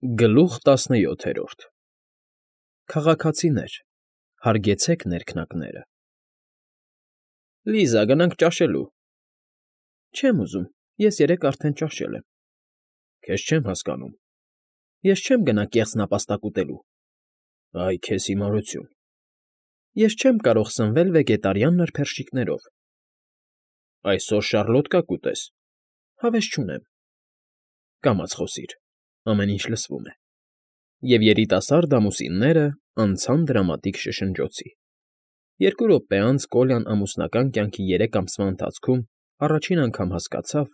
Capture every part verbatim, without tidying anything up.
Գլուխ տասնյոթերորդ Քաղաքացիներ, հարգեցեք ներքնակները։ Լիզա, գնանք ճաշելու։ Չեմ ուզում, ես երեկ արդեն ճաշել եմ։ Քեզ չեմ հասկանում։ Ես չեմ գնա կեղծ նապաստակ ուտելու։ Այ քեզ հիմարություն։ Ես չեմ կարող սնվել վեգետարյան նրբերշիկներով։ Այսօր շարլոտկա կուտես։ Հավես չունեմ։ Կամաց խոսիր, ամեն ինչ լսվում է։ Եվ երիտասարդ ամուսինները անցան դրամատիկ շշնջոցի։ Երկու րոպե անց Կոլյան ամուսնական կյանքի երեք ամսվա ընթացքում առաջին անգամ հասկացավ,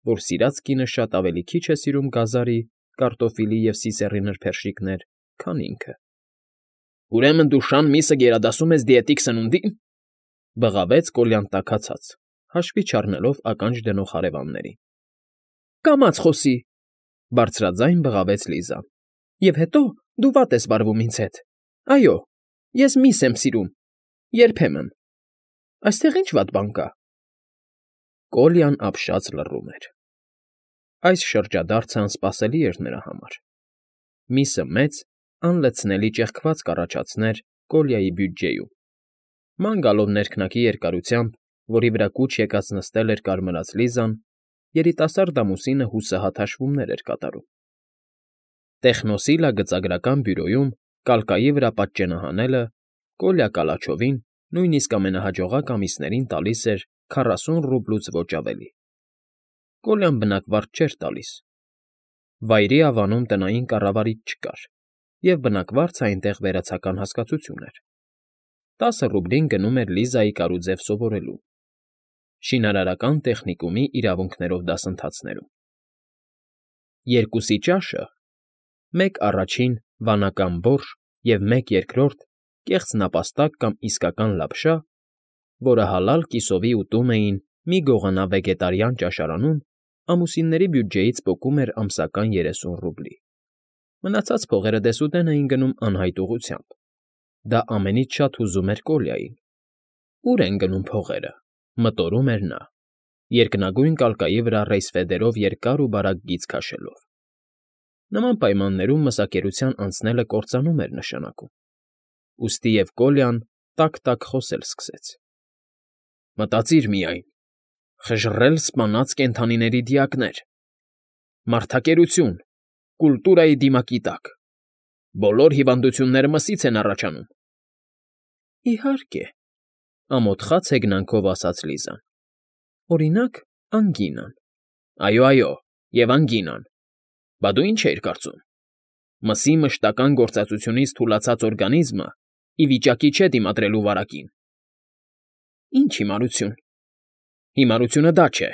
որ սիրած կինը շատ ավելի քիչ է սիրում գազարի, կարտոֆիլի և սիսեռի նրբերշիկներ, քան ինքը։ Ուրեմն դու շան միսը գերադասում ես դիետիկ սնունդի՞ն,֊ բղավեց Կոլյան տաքացած, հաշվի չառնելով ականջ դնող հարևաններին։ Կամաց խոսի,֊ բարձրաձայն բղավեց Լիզան։ Եվ հետո դու վատ ես վարվում ինձ հետ։ Այո, ես միս եմ սիրում, երբեմն։ Այստեղ ի՞նչ վատ բան կա։ Կոլյան ապշած լռում էր։ Այս շրջադարձը անսպասելի էր նրա համար։ Միսը մեծ, անլցնելի ճեղքվածք կառաջացներ Կոլյայի բյուջեում։ Ման գալով ներքնակի երկարությամբ, որի վրա կուչ եկած նստել էր կարմրած Լիզան, երիտասարդ ամուսինը հուսահատ հաշվումներ էր կատարում։ Տեխնոսիլա գծագրական բյուրոյում կալկայի վրա պատճենահանելը Կոլյա Կալաչովին նույնիսկ ամենահաջողակ ամիսներին տալիս էր քառասուն ռուբլուց ոչ ավելի։ Կոլյան բնակվարդ չէր տալիս։ Վայրի ավանում տնային կառավարիչ չկար, և բնակվարձը այնտեղ վերացական հասկացություն էր։ Տասը ռուբլին գնում էր Լիզայի կարուձև սովորելու, շինարարական տեխնիկումի իրավունքներով դասընթացներում։ Երկուսի ճաշը, մեկ առաջին վանական բորշ և մեկ երկրորդ կեղծ նապաստակ կամ իսկական լապշա, որը հալալ կիսովի ուտում էին մի գողանա վեգետարյան ճաշարանում, ամուսինների բյուջեից պոկում էր ամսական երեսուն ռուբլի։ Մնացած փողերը դեսուդեն էին գնում անհայտ ուղղությամբ։ Դա ամենից շատ հուզում էր Կոլյային։ Ո՞ւր են գնում փողերը,֊ մտորում էր նա, երկնագույն կալկայի վրա ռեյսֆեդերով երկար ու բարակ գիծ քաշելով։ Նման պայմաններում մսակերության անցնելը կործանում էր նշանակում։ Ուստի և Կոլյան տաք֊տաք խոսել սկսեց։ Մտածիր միայն, խժռել սպանած կենդանիների դիակներ, մարդակերություն, կուլտուրայի դիմակի տակ, բոլոր հիվանդությունները մսից են առաջանում։ Իհարկե,֊ ամոթխած հեգնանքով ասաց Լիզան։ Օրինակ, անգինան։ Այո, այո, և անգինան։ Բա դու ինչ էիր կարծում։ Մսի մշտական գործածությունից թուլացած օրգանիզմը ի վիճակի չէ դիմադրելու վարակին։ Ինչ հիմարություն։ Հիմարությունը դա չէ։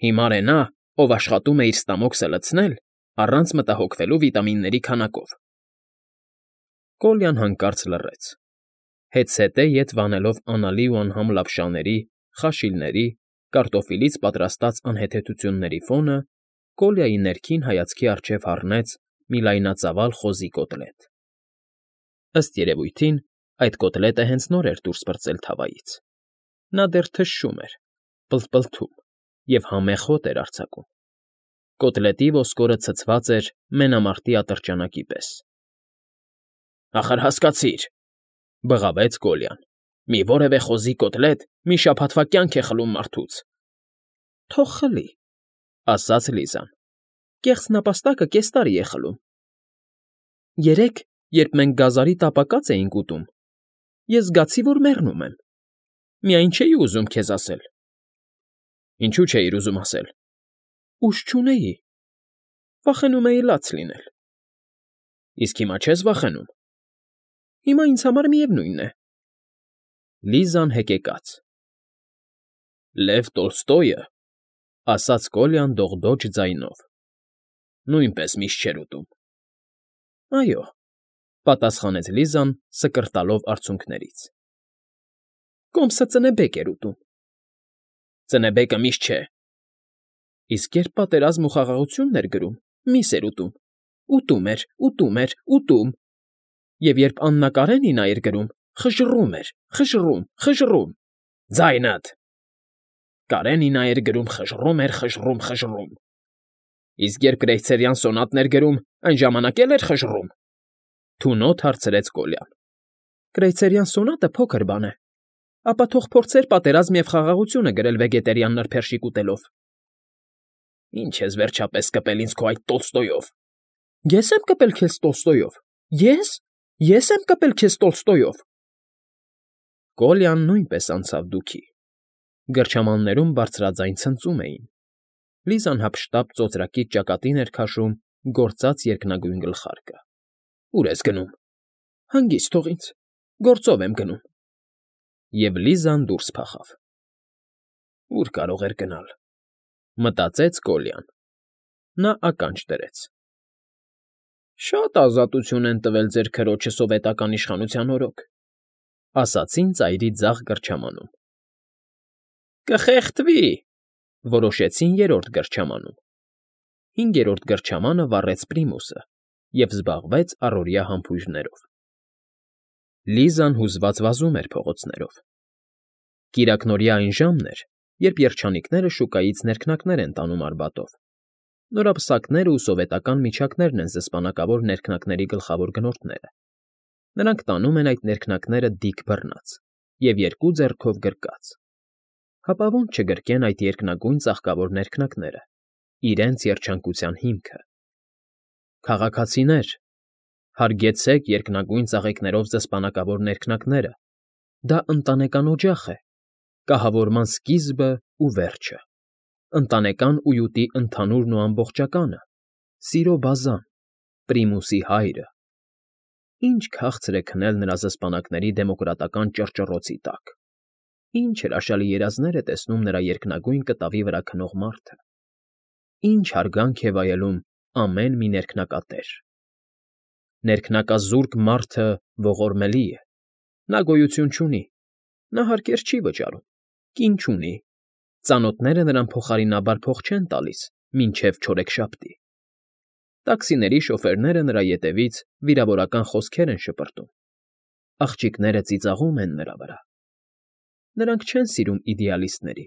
Հիմար է նա, ով աշխատում է իր ստամոքսը լցնել առանց մտահոգվելու վիտամինների քանակով։ Կոլյան հանկարծ լռեց։ Հետզհետե ետ վանելով անալի ու անհամ լապշաների, խաշիլների, կարտոֆիլից պատրաստած անհեթեթությունների ֆոնը, Կոլյայի ներքին հայացքի առջև հառնեց մի լայնածավալ խոզի կոտլետ։ Ըստ երևույթին, այդ կոտլետը հենց նոր էր դուրս պրծել թավայից։ Նա դեռ թշշում էր, պլթպլթում և համեղ հոտ էր արձակում։ Կոտլետի ոսկորը ցցված էր մենամարտի ատրճանակի պես։ Ախր հասկացիր,֊ բղավեց Կոլյան,֊ մի որևէ խոզի կոտլետ մի շաբաթվա կյանք է խլում մարդուց։ Թող խլի,֊ ասաց Լիզան։ Կեղծ նապաստակը կես տարի է խլում։ Երեկ, երբ մենք գազարի տապակած էինք ուտում, ես զգացի, որ մեռնում եմ։ Միայն չէի ուզում քեզ ասել։ Ինչու՞ չէիր ուզում ասել։ Ուժ չունեի։ Վախենում էի լաց լինել։ Իսկ հիմա չես վախենում։ Հիմա ինձ համար միևնույն է։ Լիզան հեկեկաց։ Լև Տոլստոյը,֊ ասաց Կոլյան դողդոջ ձայնով,֊ նույնպես միշտ չէր ուտում։ Այո,֊ պատասխանեց Լիզան սկրտալով արցունքներից։ Կոմսը ծնեբեկ էր ուտում։ Ծնեբեկը միշտ չէ։ Իսկ երբ պատերազմ ու խաղաղությունն էր գրում, միս էր ուտում։ Ուտում էր, ուտում էր, ուտում։ Եվ երբ Աննա Կարենինա էր գրում, խժռում էր, խժռում, խժռում։ Ձայնդ… Կարենինա էր գրում, խժռում էր, խժռում, խժռում։ Իսկ երբ կրեյցերյան սոնատն էր գրում, Այն ժամանակ էլ էր խժռում,֊ թունոտ հարցրեց Կոլյան։ Կրեյցերյան սոնատը փոքր բան է, ապա թող փորձեր պատերազմ և խաղաղությունը գրել վեգետերյան նրբերշիկ ուտելով։ Ինչ ես վերջապես կպել ինձ քո այդ Տոլստոյով։ Ես եմ կպել քեզ Տոլստոյով։ Ե՞ս։ Ես եմ կպել քեզ Տոլստոյով։ Կոլյան նույնպես անցավ դուքի։ Գրչամաններում բարձրաձայն ցնծում էին։ Լիզան հափշտապ ծոծրակից ճակատին էր քաշում գործած երկնագույն գլխարկը։ Ո՞ւր ես գնում։ Հանգիստ թող ինձ։ Գործով եմ գնում։ Եվ Լիզան դուրս փախավ։ Ո՞ւր կարող էր գնալ, մտածեց Կոլյան։ Նա ականջ դրեց։ Շատ ազատություն են տվել ձեր քրոջը սովետական իշխանության օրոք, ասացին ծայրի ձախ գրչամանում։ Կխեղդվի, որոշեցին երրորդ գրչամանում։ Հինգերորդ գրչամանը վառեց պրիմուսը և զբաղվեց առօրյա համբույրներով։ Լիզան հուզված վազում էր փողոցներով։ Կիրակնօրյա այն ժամն էր, երբ երջանիկները շուկայից ներքնակներ են տանում Արբատով։ Նորապսակներն ու սովետական միջակներն են զսպանակավոր ներքնակների գլխավոր գնորդները։ Նրանք տանում են այդ ներքնակները դիք բռնած և երկու ձեռքով գրկած։ Հապա ո՞նց չգրկեն այդ երկնագույն ծաղկավոր ներքնակները, իրենց երջանկության հիմքը։ Քաղաքացիներ, հարգեցեք երկնագույն ծաղիկներով զսպանակավոր ներքնակները, դա ընտանեկան օջախ է, կահավորման սկիզբը ու վերջը, ընտանեկան ույուտի ընդհանուրն ու ամբողջականը, սիրո բազան, պրիմուսի հայրը։ Ինչ քաղցր է քնել նրա զսպանակների դեմոկրատական ճռճռոցի տակ։ Ինչ հրաշալի երազներ է տեսնում նրա երկնագույն կտավի վրա քնող մարդը։ Ինչ հարգանք է վայելում ամեն մի ներքնակատեր։ Ներքնակազուրկ մարդը ողորմելի է։ Նա գոյություն չունի։ Նա հարկեր չի վճարում, կին չունի։ Ծանոթները նրան փոխարինաբար փող չեն տալիս, մինչև չորեքշաբթի։ Տաքսիների շոֆերները նրա ետևից վիրավորական խոսքեր են շպրտում։ Աղջիկները ծիծաղում են նրա վրա։ Նրանք չեն սիրում իդեալիստների։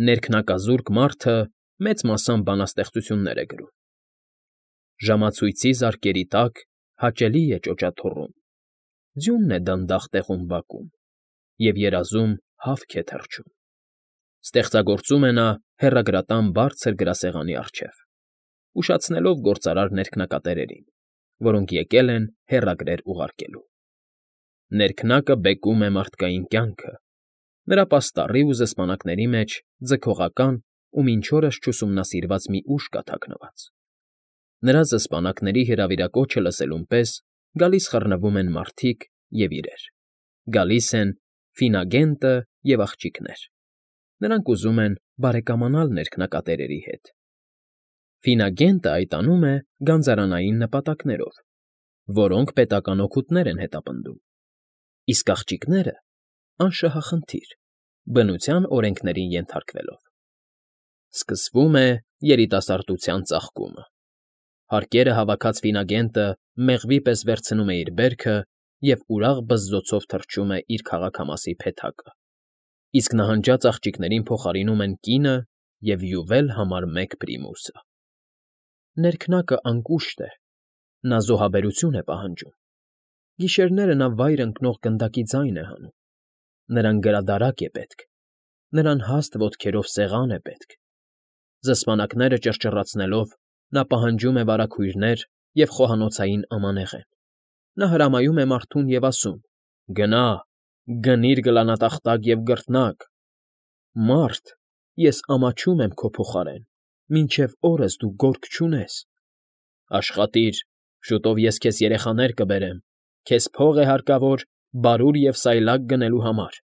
Ներքնակազուրկ մարդը մեծ մասամբ բանաստեղծություններ է գրում։ Ժամացույցի զարկերի տակ հաճելի է ճոճաթոռում, ձյունն է դանդաղ տեղում բակում, և երազում հավք է թռչում։ Ստեղծագործում է նա հեռագրատան բարձր գրասեղանի առջև, ուշացնելով գործարար ներքնակատերերին, որոնք եկել են հեռագրեր ուղարկելու։ Ներքնակը բեկում է մարդկային կյանքը, նրա պաստառի ու զսպանակների մեջ ձգողական ու մինչ օրս չուսումնասիրված մի ուժ կա թաքնված։ Նրա զսպանակների հրավիրակոչը լսելուն պես գալիս խռնվում են մարդիկ և իրեր, գալիս են Ֆինագենտը և աղջիկներ։ Նրանք ուզում են բարեկամանալ ներքնակատերերի հետ։ Ֆինագենտը այդ անում է գանձարանային նպատակներով, որոնք պետական օգուտներ են հետապնդում, իսկ աղջիկները՝ անշահախնդիր, բնության օրենքներին ենթարկվելով։ Սկսվում է երիտասարդության ծաղկումը։ Հարկերը հավաքած Ֆինագենտը մեղվի պես վերցնում է իր բերքը և ուրախ բզզոցով թռչում է իր քաղաքամասի փեթակը, իսկ նահանջած աղջիկներին փոխարինում են կինը և յուվել համար մեկ պրիմուսը։ Ներքնակը անկուշտ է, նա զոհաբերություն է պահանջում։ Գիշերները նա վայր ընկնող գնդակի ձայն է հանում։ Նրան գրադարակ է պետք, նրան հաստ ոտքերով սեղան է պետք։ Զսպանակները ճռճռացնելով՝ նա պահանջում է վարագույրներ և խոհանոցային ամանեղեն։ Նա հրամայում է մարդուն և ասում. «Գնա, գնիր գլանատախտակ և գռտնակ։ Մարդ, ես ամաչում եմ քո փոխարեն, մինչև օրս դու գործ չունես։ Աշխատիր, շուտով ես քեզ երեխաներ կբերեմ, քեզ փող է հարկավոր բարուր և սայլակ գնելու համար»։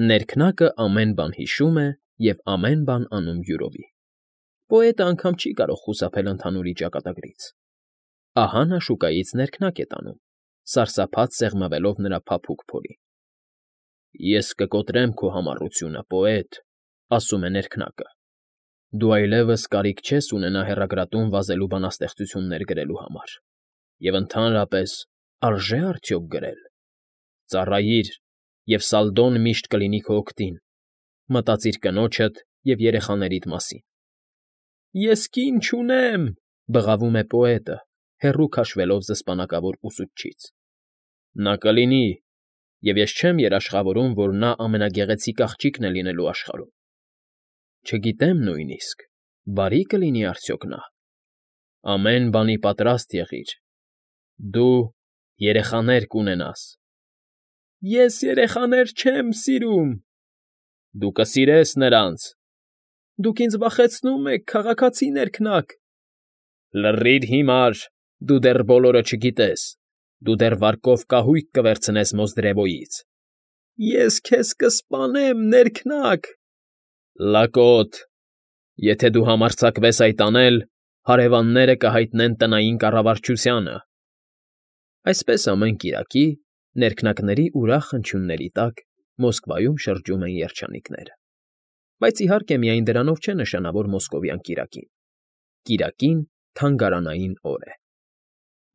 Ներքնակը ամեն բան հիշում է և ամեն բան անում յուրովի։ Պոետը անգամ չի կարող խուսափել ընդհանուրի ճակատագրից։ Ահա նա շուկայից ներքնակ է տանում, սարսափած սեղմվելով նրա փափուկ փորին։ Ես կկոտրեմ քո համառությունը, պոետ, ասում է ներքնակը։ Դու այլևս կարիք չես ունենա հեռագրատուն վազելու բանաստեղծություններ գրելու համար, և ընդհանրապես, արժե՞ արդյոք գրել։ Ծառայիր, և Սալդոն միշտ կլինի քո օգտին, մտածիր կնոջդ և երեխաներիդ մասին։ Ես կին չունեմ, Բղավում է պոետը, հեռու քաշվելով զսպանակավոր ուսուցչից։ Նա կլինի, և ես չեմ երաշխավորում, որ նա ամենագեղեցիկ աղջիկն է լինելու աշխարհում։ Չգիտեմ նույնիսկ, բարի՞ կլինի արդյոք նա։ Ամեն բանի պատրաստ եղիր, դու երեխաներ կունենաս։ Ես երեխաներ չեմ սիրում։ Դու կսիրես նրանց։ Դուք ինձ վախեցնում եք, քաղաքացիներ քնակ։ Լռիր հիմար, դու դեռ բոլորը չգիտես, դու դեռ վարկով կահույք կվերցնես Մոզդրևոյից։ Ես քեզ կսպանեմ, ներքնակ։ Լակոտ, եթե դու համարձակվես այդ անել, հարևանները կհայտնեն տնային կառավարչությանը։ Այսպես ամեն կիրակի, ներքնակների ուրախ հնչյունների տակ Մոսկվայում շրջում են երջանիկները։ Բայց իհարկե միայն դրանով չէ նշանավոր մոսկովյան կիրակին։ Կիրակին թանգարանային օր է։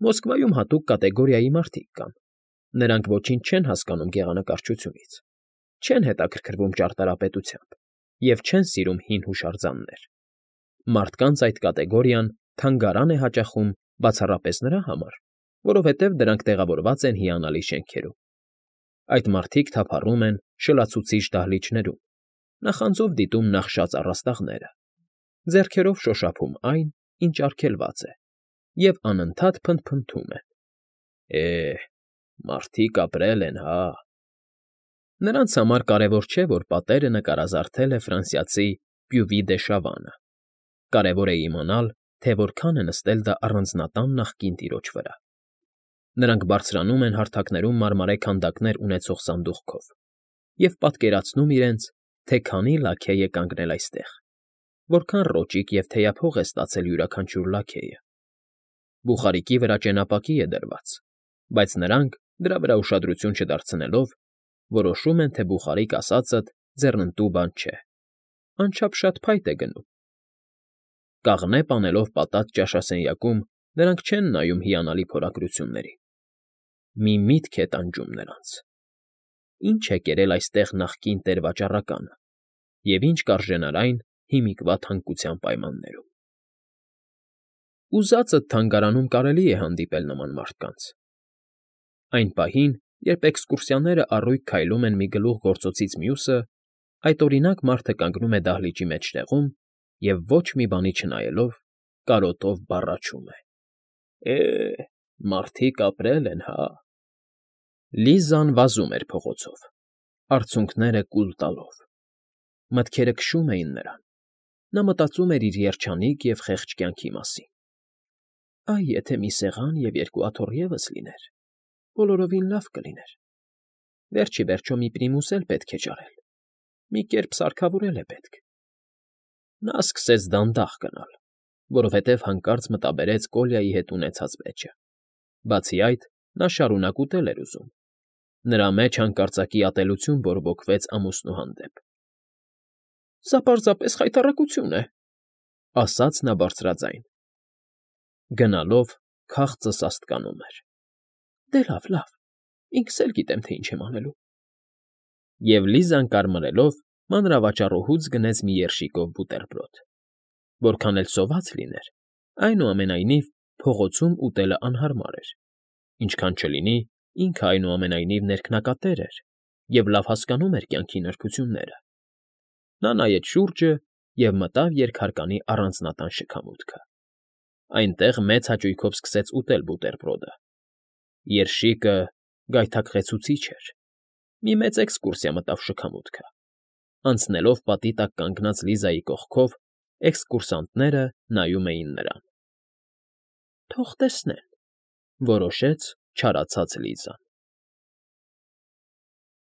Մոսկվայում հատուկ կատեգորիայի մարդիկ կան։ Նրանք ոչինչ չեն հասկանում գեղանկարչությունից, չեն հետաքրքրվում ճարտարապետությամբ և չեն սիրում հին հուշարձաններ։ Մարդկանց այդ կատեգորիան թանգարան է հաճախում բացառապես նրա համար, որովհետև դրանք տեղավորված են հիանալի շենքերում։ Այդ մարդիկ թափառում են շլացուցիչ դահլիճներում, նախանձով դիտում նախշած առաստաղները, ձեռքերով շոշափում այն, ինչ արգելված է, և անընդհատ փնթփնթում են. «Է՜, մարդիկ ապրել են, հա»։ Նրանց համար կարևոր չէ, որ պատերը նկարազարդել է ֆրանսիացի Պյուվի դե Շավանը։ Կարևոր է իմանալ, թե որքան է նստել դա առանձնատան նախկին տիրոջ վրա։ Նրանք բարձրանում են հարթակներում մարմարե քանդակներ ունեցող սանդուղքով և պատկերացնում իրենց, թե քանի լաքեյ է կանգնել այստեղ, որքան ռոճիկ և թեյափող է ստացել յուրաքանչյուր լաքեյը։ Բուխարիկի վրա ճենապակի է դրված, բայց նրանք, դրա վրա ուշադրություն չդարձնելով, որոշում են, թե բուխարիկ ասածդ ձեռնտու բան չէ, անչափ շատ փայտ է գնում։ Կաղնե պանելով պատած ճաշասենյակում նրանք չեն նայում հիանալի փորագրություններին։ Մի միտք է տանջում նրանց. ի՞նչ է կերել այստեղ նախկին տեր֊վաճառականը և ի՞նչ կարժենար այն հիմիկվա թանկության պայմաններում։ Ուզածդ թանգարանում կարելի է հանդիպել նման մարդկանց։ Այն պահին, երբ էքսկուրսիաները առույգ քայլում են մի գլուխ գործոցից մյուսը, այդօրինակ մարդը կանգնում է դահլիճի մեջտեղում և ոչ մի բանի չնայելով, կարոտով բառաչում է. «Է՜, մարդիկ ապրել են, հա»։ Լիզան վազում էր փողոցով, արցունքները կուլ տալով։ Մտքերը քշում էին նրան։ Նա մտածում էր իր երջանիկ և խեղճ կյանքի մասին։ Այ եթե մի սեղան և երկու աթոռ ևս լիներ, բոլորովին լավ կլիներ։ Վերջ ի վերջո մի պրիմուս էլ պետք է ճարել, մի կերպ սարքավորել է պետք։ Նա սկսեց դանդաղ գնալ, որովհետև հանկարծ մտաբերեց Կոլյայի հետ ունեցած վեճը։ Բացի այդ, նա շարունակ ուտել էր ուզում։ Նրա մեջ հանկարծակի ատելություն բորբոքվեց ամուսնու հանդեպ։ Սա պարզապես խայտառակություն է, ասաց նա բարձրաձայն։ Գնալով քաղցը սաստկանում էր։ Դե լավ, լավ, ինքս էլ գիտեմ, թե ինչ եմ անելու։ Եվ Լիզան կարմրելով մանրավաճառուհուց գնեց մի երշիկով բուտերբրոդ։ Որքան էլ սոված լիներ, այնուամենայնիվ փողոցում ուտելը անհարմար էր, ինչքան չլինի, ինքը այնուամենայնիվ ներքնակատեր էր և լավ հասկանում էր կյանքի նրբությունները։ Նա նայեց շուրջը և մտավ երկհարկանի առանձնատան շքամուտքը։ Այնտեղ մեծ հաճույքով սկսեց ուտել բուտերբրոդը։ Երշիկը գայթակղեցուցիչ էր։ Մի մեծ էքսկուրսիա մտավ շքամուտքը։ Անցնելով պատի տակ կանգնած Լիզայի կողքով, էքսկուրսանտները նայում էին նրան։ Թող տեսնեն, որոշեց չարացած Լիզան։